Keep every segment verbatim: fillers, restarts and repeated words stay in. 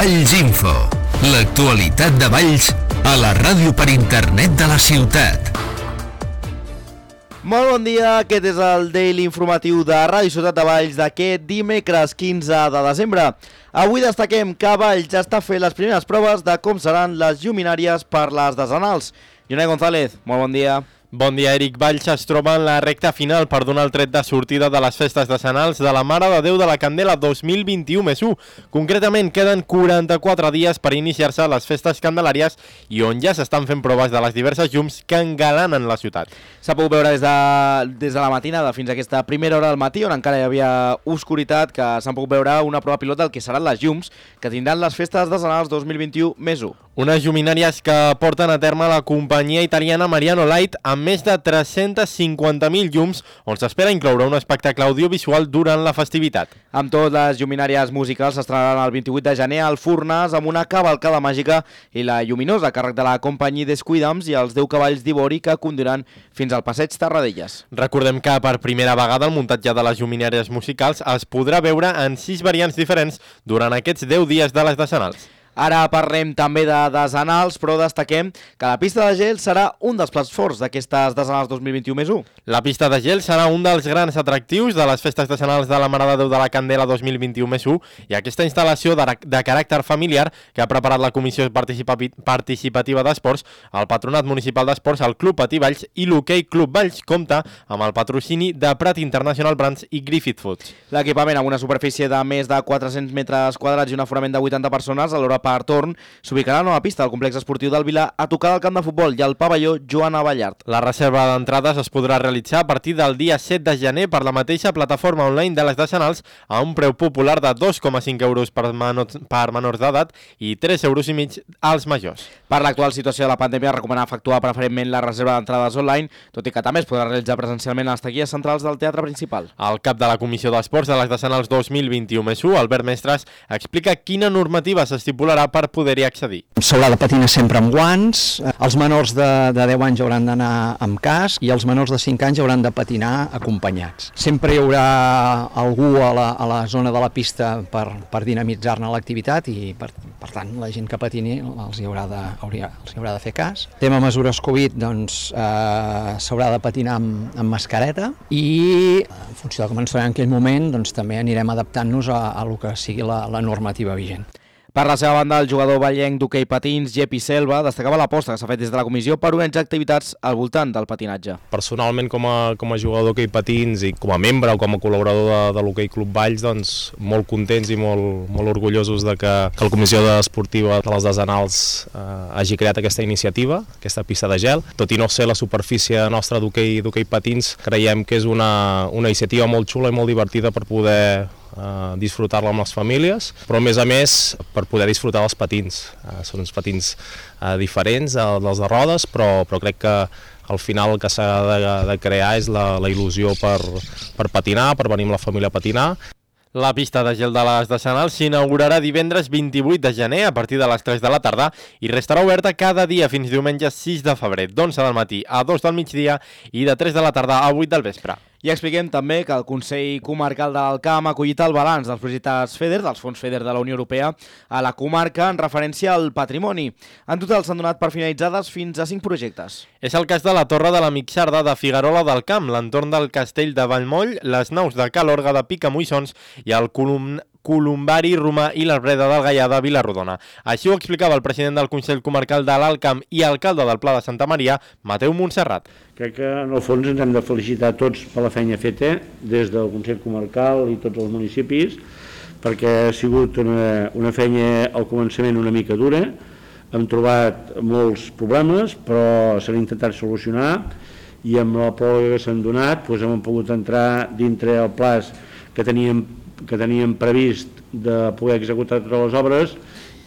Valls Info. L'actualitat de Valls a la ràdio per internet de la ciutat. Molt bon dia, aquest és el Daily Informatiu de Ràdio Ciutat de Valls d'aquest dimecres quinze de desembre. Avui destaquem que Valls ja està fent les primeres proves de com seran les lluminàries per les decenals. Jonai González, molt bon dia. Bon dia, Eric. Valls es troba en la recta final per donar el tret de sortida de les festes decenals de la Mare de Déu de la Candela dos mil vint-i-u més u. Concretament, queden quaranta-quatre dies per iniciar-se les festes candelàries i on ja s'estan fent proves de les diverses llums que engalanen la ciutat. S'ha pogut veure des de, des de la matinada fins a aquesta primera hora del matí, on encara hi havia oscuritat, que s'han pogut veure una prova pilot del que seran les llums que tindran les festes decenals dos mil vint-i-u més u. Unes lluminàries que porten a terme la companyia italiana Mariano Light amb més de tres-cents cinquanta mil llums, on s'espera incloure un espectacle audiovisual durant la festivitat. Amb tot, les lluminàries musicals s'estrenaran el vint-i-vuit de gener al Furnas amb una cavalcada màgica i la lluminosa a càrrec de la companyia Descuidams i els deu cavalls d'ivori que conduiran fins al passeig Terradellas. Recordem que per primera vegada el muntatge de les lluminàries musicals es podrà veure en sis variants diferents durant aquests deu dies de les decenals. Ara parlem també de decenals, però destaquem que la pista de gel serà un dels plats forts d'aquestes decenals dos mil vint-i-u més u. La pista de gel serà un dels grans atractius de les festes decenals de la Mare de Déu de la Candela dos mil vint-i-u més u i aquesta instal·lació de, de caràcter familiar que ha preparat la Comissió Participativa d'Esports, el Patronat Municipal d'Esports, el Club Patí Valls i l'Hoquei Club Valls compta amb el patrocini de Prat International Brands i Griffith Foods. L'equipament, amb una superfície de més de quatre-cents metres quadrats i un aforament de vuitanta persones, alhora per torn, s'ubicarà a la nova pista del complex esportiu del Vilà a tocar del camp de futbol i al pavelló Joana Ballart. La reserva d'entrades es podrà realitzar a partir del dia set de gener per la mateixa plataforma online de les decenals a un preu popular de dos coma cinc euros per, menors, per menors d'edat i tres euros i mig als majors. Per l'actual situació de la pandèmia, recomana efectuar preferentment la reserva d'entrades online, tot i que també es podrà realitzar presencialment a les taquilles centrals del teatre principal. El cap de la Comissió d'Esports de les decenals dos mil vint-i-u més u, Albert Mestres, explica quina normativa s'estipularà per poder-hi accedir. S'haurà de patinar sempre amb guants, els menors de, de deu anys hauran d'anar amb casc i els menors de cinc anys hauran de patinar acompanyats. Sempre hi haurà algú a la, a la zona de la pista per, per dinamitzar-ne l'activitat i per, per tant la gent que patini els hi haurà de, hauria, els hi haurà de fer cas. Tema mesures Covid, doncs eh, s'haurà de patinar amb, amb mascareta i en funció de com ens farem en aquell moment doncs també anirem adaptant-nos a, a lo que sigui la, la normativa vigent. Per la seva banda, el jugador vallenc d'hoquei patins, Jepi Selva, destacava l'aposta que s'ha fet des de la comissió per organitzar activitats al voltant del patinatge. Personalment, com a, com a jugador d'hoquei patins i com a membre o com a col·laborador de, de l'Hoquei Club Valls, doncs molt contents i molt, molt orgullosos de que, que la comissió esportiva de les decenals eh, hagi creat aquesta iniciativa, aquesta pista de gel. Tot i no ser la superfície nostra d'hoquei d'hoquei patins, creiem que és una, una iniciativa molt xula i molt divertida per poder Uh, disfrutar-la amb les famílies, però a més a més per poder disfrutar dels patins. Uh, són uns patins uh, diferents uh, dels de rodes, però, però crec que al final el que s'ha de, de crear és la, la il·lusió per, per patinar, per venir amb la família a patinar. La pista de gel de les decenals s'inaugurarà divendres vint-i-vuit de gener a partir de les tres de la tarda i restarà oberta cada dia fins diumenge sis de febrer, d'onze del matí a dos del migdia i de tres de la tarda a vuit del vespre. I expliquem també que el Consell Comarcal de l'Alt Camp ha acollit el balanç dels projectes FEDER, dels fons FEDER de la Unió Europea, a la comarca en referència al patrimoni. En total s'han donat per finalitzades fins a cinc projectes. És el cas de la Torre de la Mixarda de Figuerola del Camp, l'entorn del Castell de Vallmoll, les naus de Calorga de Picamoixons i el column Columbari Romà i l'Arbreda del Gaià de Vilarrodona. Així ho explicava el president del Consell Comarcal de l'Alt Camp i alcalde del Pla de Santa Maria, Mateu Montserrat. Crec que en el fons ens hem de felicitar tots per la feina feta des del Consell Comarcal i tots els municipis, perquè ha sigut una, una feina al començament una mica dura, hem trobat molts problemes però s'han intentat solucionar i amb la pròrroga que s'han donat doncs hem pogut entrar dintre el plaç que teníem que teníem previst de poder executar totes les obres.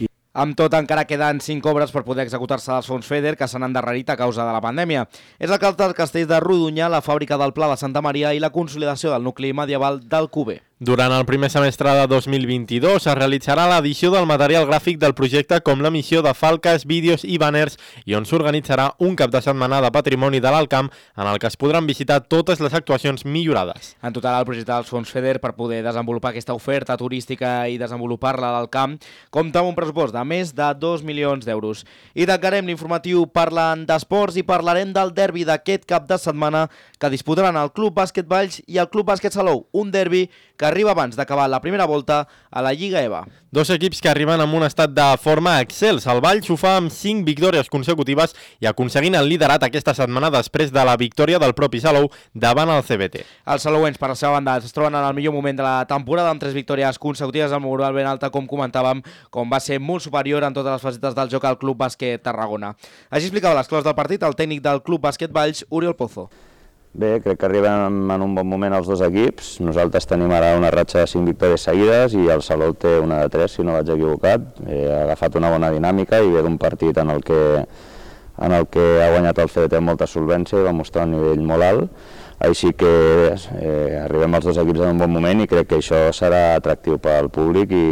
I... Amb tot, encara queden cinc obres per poder executar-se dels fons FEDER que s'han endarrerit a causa de la pandèmia. És el cas dels castells de Rodonyà, la fàbrica del Pla de Santa Maria i la consolidació del nucli medieval del Cuber. Durant el primer semestre de dos mil vint-i-dos es realitzarà l'edició del material gràfic del projecte com l'emissió de falques, vídeos i banners i on s'organitzarà un cap de setmana de patrimoni de l'Alt Camp en el que es podran visitar totes les actuacions millorades. En total, el projecte dels fons FEDER per poder desenvolupar aquesta oferta turística i desenvolupar-la al camp compta amb un pressupost de més de dos milions d'euros. I tancarem l'informatiu parlant d'esports i parlarem del derbi d'aquest cap de setmana que disputaran el Club Bàsquet Valls i el Club Bàsquet Salou, un derbi que arriba abans d'acabar la primera volta a la Lliga E V A. Dos equips que arriben amb un estat de forma excels. El Valls ho fa amb cinc victòries consecutives i aconseguint el liderat aquesta setmana després de la victòria del propi Salou davant el C B T. Els salouens, per la seva banda, es troben en el millor moment de la temporada amb tres victòries consecutives amb moral ben alta, com comentàvem, com va ser molt superior en totes les facetes del joc al Club Bàsquet Tarragona. Així explicava les claus del partit el tècnic del Club Bàsquet Valls, Oriol Pozo. Bé, crec que arriben en un bon moment els dos equips. Nosaltres tenim ara una ratxa de cinc victòries seguides i el Salou té una de tres, si no vaig equivocat. Ha agafat una bona dinàmica i ve d'un partit en el que, en el que ha guanyat el C B T amb molta solvència i va mostrar un nivell molt alt. Així que eh, arribem els dos equips en un bon moment i crec que això serà atractiu pel públic i,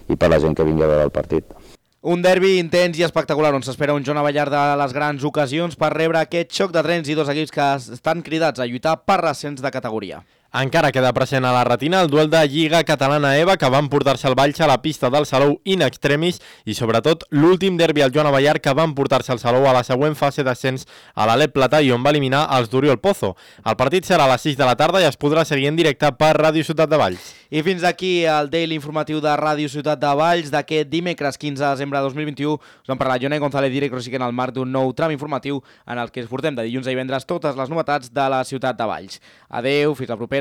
i per la gent que vingui a veure el partit. Un derbi intens i espectacular on s'espera un Joan Abellar de les grans ocasions per rebre aquest xoc de trens i dos equips que estan cridats a lluitar per l'ascens de categoria. Encara queda present a la retina el duel de Lliga Catalana E V A que van portar-se el Valls a la pista del Salou in extremis i sobretot l'últim derbi al Joan Abellar que van portar-se el Salou a la següent fase d'ascens a l'Alep Platà i on va eliminar els d'Oriol Pozo. El partit serà a les sis de la tarda i es podrà seguir en directe per Ràdio Ciutat de Valls. I fins aquí el Daily informatiu de Ràdio Ciutat de Valls d'aquest dimecres quinze de desembre de dos mil vint-i-u. Us han parlat Jonai González, director en el marc d'un nou tram informatiu en el que es portem de dilluns a divendres totes les novetats de la ciutat de Valls. Adeu, fins la propera.